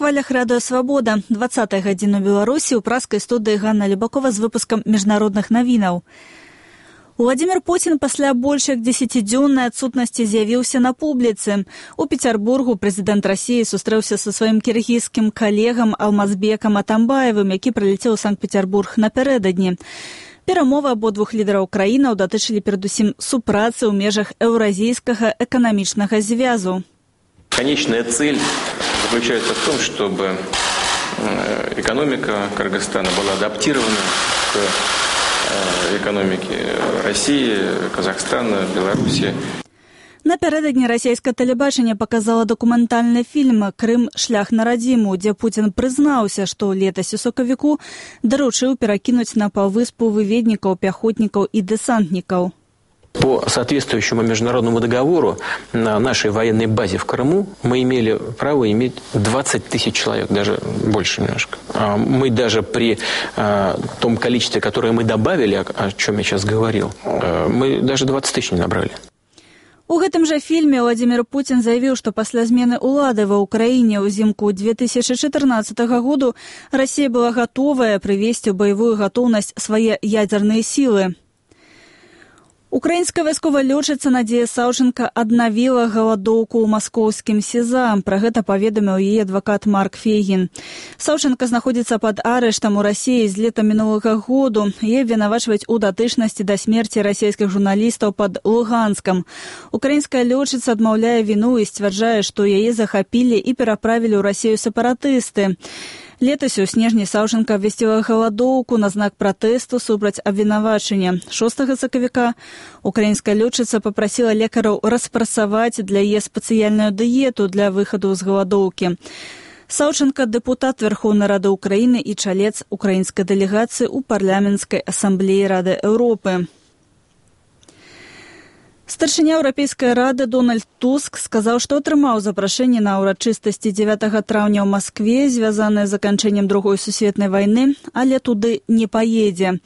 хвалях Радио Свобода. 20-я гадзіна ў Беларусі ў праскай студыі Ганна Любакова з выпускам міжнародных навінаў. Владимир Путин пасля больш як 10-дзённай адсутнасці з'явіўся на публіцы. У Петербургу прэзідэнт Расіі сустрэўся са сваім кіргізскім калегам Алмазбекам Атамбаевым, які прылецеў у Санкт-Петербург напярэдадні. Перамовы абодвух лідараў краінаў датычылі перадусім супрацы ў межах Еўразійскага эканамічнага звязу. Конечная цель заключается в том, чтобы экономика Кыргызстана была адаптирована к экономике России, Казахстана, Беларуси. Напярэдадні расійскае тэлебачанне паказала дакументальны фільм «Крым. Шлях на радзіму», дзе Путін прызнаўся, што летась у сакавіку даручыў перакінуць на паўвыспу выведнікаў, пяхотнікаў і дэсантнікаў. По соответствующему международному договору на нашей военной базе в Крыму мы имели право иметь 20 тысяч человек, даже больше немножко. Мы даже при том количестве, которое мы добавили, о чем я сейчас говорил, мы даже 20 тысяч не набрали. У гэтым жа фільме Владимир Путин заявіў, што пасля змены ўлады ва ўкраіне ўзімку 2014 году Расія была гатовая прывесці ў баявую гатоўнасць свае ядзерныя сілы. Украінская вайсковая лётчыца Надзея Саўченка аднавіла галадоўку ў маскоўскім СІЗА. Пра гэта паведаміў яе адвакат Марк Фейгін. Саўченка знаходзіцца пад арыштам у Расіі з лета мінулага году. Яе абвінавачваюць у датычнасці да смерці расійскіх журналістаў пад Луганскам. Украінская лётчыца адмаўляе віну і сцвярджае, што яе захапілі і пераправілі ў Расію сепаратысты. Летась у снежні Саўченка абвясціла галадоўку на знак пратэсту супраць абвінавачання. 6 сакавіка украінская лётчыца папрасіла лекараў распрацаваць для яе спецыяльную дыету для выхаду з галадоўкі. Саўченка – дэпутат Верховнай Рады Украіны і чалец украінскай дэлегацыі ў парламенцкай асамблеі Рады Еўропы. Старшыня Еўрапейскай рады Дональд Туск сказаў, што атрымаў запрашэнне на ўрачыстасці 9 траўня ў Маскве, звязанае з заканчэннем Другой сусветнай вайны, але туды не паедзе.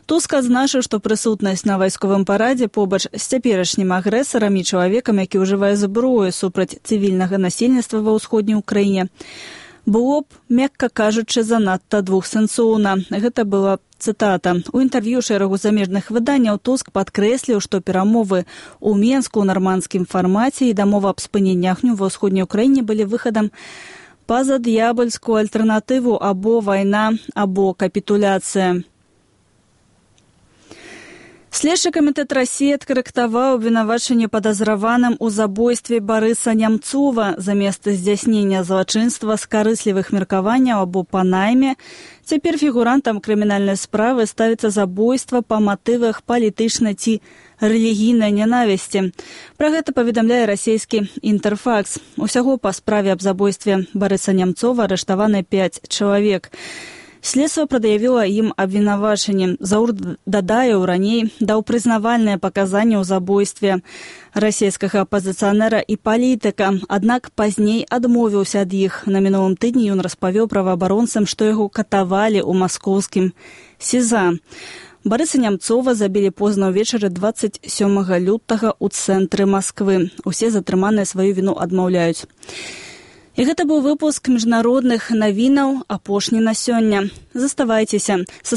Туск адзначыў, што прысутнасць на вайсковым парадзе побач з цяперашнім агрэсарам і чалавекам, які ўжывае зброю супраць цывільнага насельніцтва ва ўсходняй Украіне, было б, мякка кажучы, занадта двухсэнсоўна. Гэта была цытата. У інтэрв'ю шэрагу замежных выданняў Туск падкрэсліў, што перамовы ў Менску ў нармандскім фармаце і дамова аб спыненні агню ва ўсходняй Украіне былі выхадам па-за д'ябальскую альтэрнатыву або вайна, або капітуляцыя. Следчы камітэт Расіі адкарэктаваў абвінавачанне падазраваным у забойстве Барыса Нямцова замест здзяйснення злачынства з карыслівых меркаванняў або па найме. Цяпер фігурантам крымінальнай справы ставіцца забойства па матывах палітычнай ці рэлігійнай нянавісці. Пра гэта паведамляе расійскі Інтэрфакс. Усяго па справе аб забойстве Барыса Нямцова арыштаваны 5 чалавек. Следства прад'явіла ім абвінавачанне. Заур Дадаеў раней даў прызнавальныя паказанні ў забойстве расійскага апазіцыянера і палітыка, аднак пазней адмовіўся ад іх. На мінулым тыдні ён распавёў праваабаронцам, што яго катавалі ў маскоўскім СІЗА. Барыса Нямцова забілі позна ўвечары 27 лютага ў цэнтры Масквы. Усе затрыманыя сваю віну адмаўляюць. І гэта быў выпуск міжнародных навінаў, апошні на сёння. Заставайцеся са